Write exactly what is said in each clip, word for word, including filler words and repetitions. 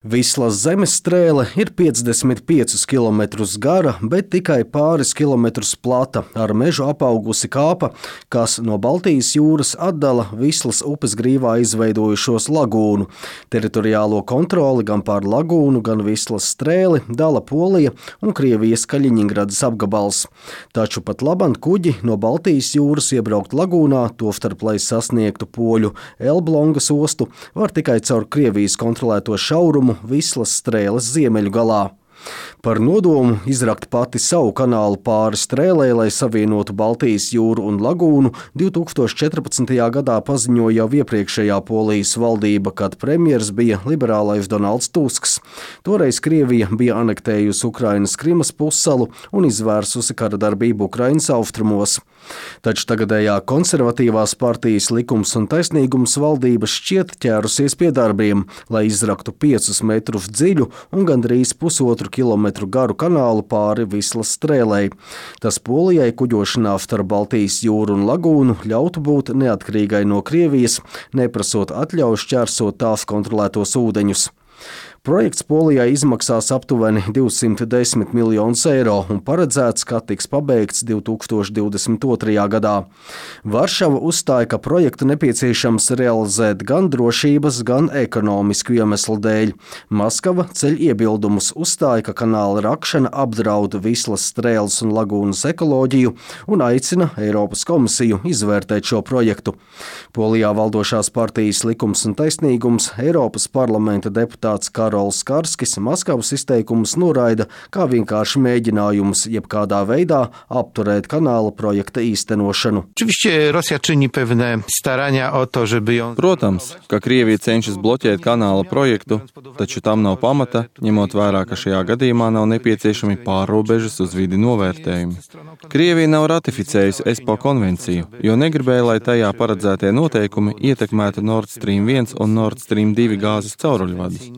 Vislas zemestrēle ir piecdesmit piecus kilometrus gara, bet tikai pāris kilometrus plata, ar mežu apaugusi kāpa, kas no Baltijas jūras atdala Vislas upes grīvā izveidojušos lagūnu. Teritoriālo kontroli gan pār lagūnu, gan Vislas strēli dala Polija un Krievijas Kaļiņingradas apgabals. Taču pat laban kuģi no Baltijas jūras iebraukt lagūnā, tostarp, lai sasniegtu poļu Elblongas ostu, var tikai caur Krievijas kontrolēto šaurumu Vislas strēles ziemeļu galā. Par nodomu izrakt pati savu kanālu pāri strēlē, lai savienotu Baltijas jūru un lagūnu, divi tūkstoši četrpadsmitajā gadā paziņoja jau iepriekšējā Polijas valdība, kad premjers bija liberālais Donalds Tusks. Toreiz Krievija bija anektējusi Ukrainas Krimas pussalu un izvērsusi kara darbību Ukrainas austrumos. Taču tagadējā konservatīvās partijas Likums un taisnīgums valdība šķiet ķērusies pie darbiem, lai izraktu piecus metrus dziļu un gandrīz pusotru kilometru garu kanālu pāri Vislas strēlei. Tas Polijai kuģošanā starp Baltijas jūru un lagūnu ļautu būt neatkarīgai no Krievijas, neprasot atļauju šķērsot tās kontrolētos ūdeņus. Projekts Polijai izmaksās aptuveni divsimt desmit miljonus eiro un paredzēts, ka tiks pabeigts divi tūkstoši divdesmit otrajā gadā. Varšava uzstāja, ka projektu nepieciešams realizēt gan drošības, gan ekonomisku iemeslu dēļ. Maskava ceļ iebildumus, uzstāja, ka kanāla rakšana apdraud Vislas strēles un lagūnas ekoloģiju un aicina Eiropas komisiju izvērtēt šo projektu. Polijā valdošās partijas Likums un taisnīgums Eiropas parlamenta deputāts Karols Karskis Maskavas izteikumus noraida kā vienkārši mēģinājumus jebkādā veidā apturēt kanāla projekta īstenošanu. Protams, ka Krievija cenšas bloķēt kanāla projektu, taču tam nav pamata, ņemot vērā, ka šajā gadījumā nav nepieciešami pārrobežas uz vidi novērtējumi. Krievija nav ratificējusi ESPO konvenciju, jo negribēja, lai tajā paredzētie noteikumi ietekmētu Nord Stream viens un Nord Stream divi gāzes cauruļvadus.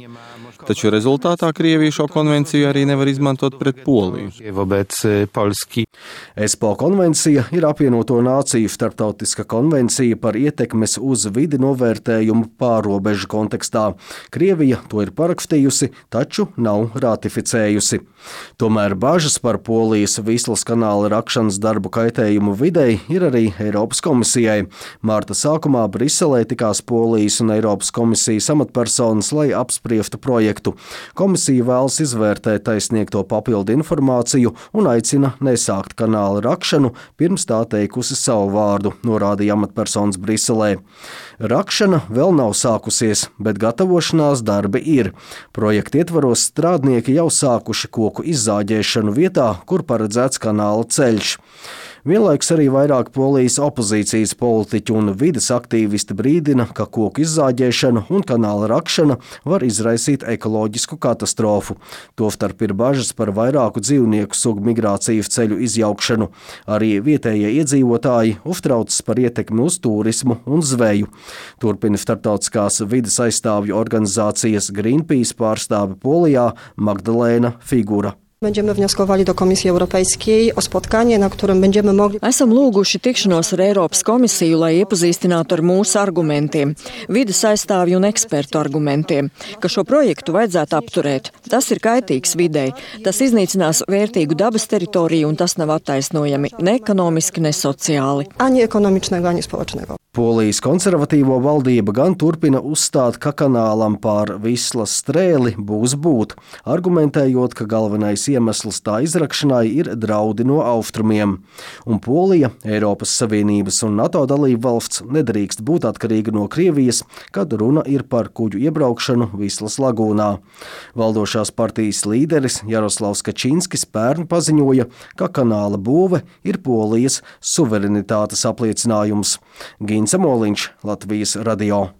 Taču rezultātā Krievija šo konvenciju arī nevar izmantot pret Poliju. ESPO konvencija ir apvienoto nāciju starptautiska konvencija par ietekmes uz vidi novērtējumu pārrobežu kontekstā. Krievija to ir parakstījusi, taču nav ratificējusi. Tomēr bažas par Polijas Vislas kanāla rakšanas darbu kaitējumu videi ir arī Eiropas komisijai. Mārta sākumā Briselē tikās Polijas un Eiropas komisijas amatpersonas, lai apspriestu projektu. Komisija vēlas izvērtēt taisniegto papildu informāciju un aicina nesākt kanāla rakšanu, pirms tā teikusi savu vārdu, norādīja amatpersonas Briselē. Rakšana vēl nav sākusies, bet gatavošanās darbi ir. Projekta ietvaros strādnieki jau sākuši koku izzāģēšanu vietā, kur paredzēts kanāla ceļš. Vienlaiks arī vairāk Polijas opozīcijas politiķu un vides aktīvisti brīdina, ka koku izzāģēšana un kanāla rakšana var izraisīt ekoloģisku katastrofu. Tostarp ir bažas par vairāku dzīvnieku sugu migrācijas ceļu izjaukšanu. Arī vietējie iedzīvotāji uztraucas par ietekmi uz turismu un zveju. Turpina starptautiskās vides aizstāvju organizācijas Greenpeace pārstāve Polijā Magdalēna Figura. Będziemy wnioskowali do Komisji Europejskiej o spotkanie, na którym będziemy mogli... Esam lūguši tikšanos ar Eiropas komisiju, lai iepazīstinātu ar mūsu argumentiem, vides aizstāvju un ekspertu argumentiem, ka šo projektu vajadzētu apturēt. Tas ir kaitīgs videi, tas iznīcinās vērtīgu dabas teritoriju un tas nav attaisnojami ne ekonomiski, ne sociāli. Ani ekonomicznego, ani społecznego. Polijas konservatīvo valdība gan turpina uzstāt, ka kanālam pār Vislas strēli būs būt, argumentējot, ka galvenais iemesls tā izrakšanai ir draudi no austrumiem. Un Polija, Eiropas Savienības un NATO dalība valsts, nedrīkst būt atkarīga no Krievijas, kad runa ir par kuģu iebraukšanu Vislas lagūnā. Valdošās partijas līderis Jaroslavs Kačinskis pērn paziņoja, ka kanāla būve ir Polijas suverenitātes apliecinājums. Ginsa Moliņš, Latvijas radio.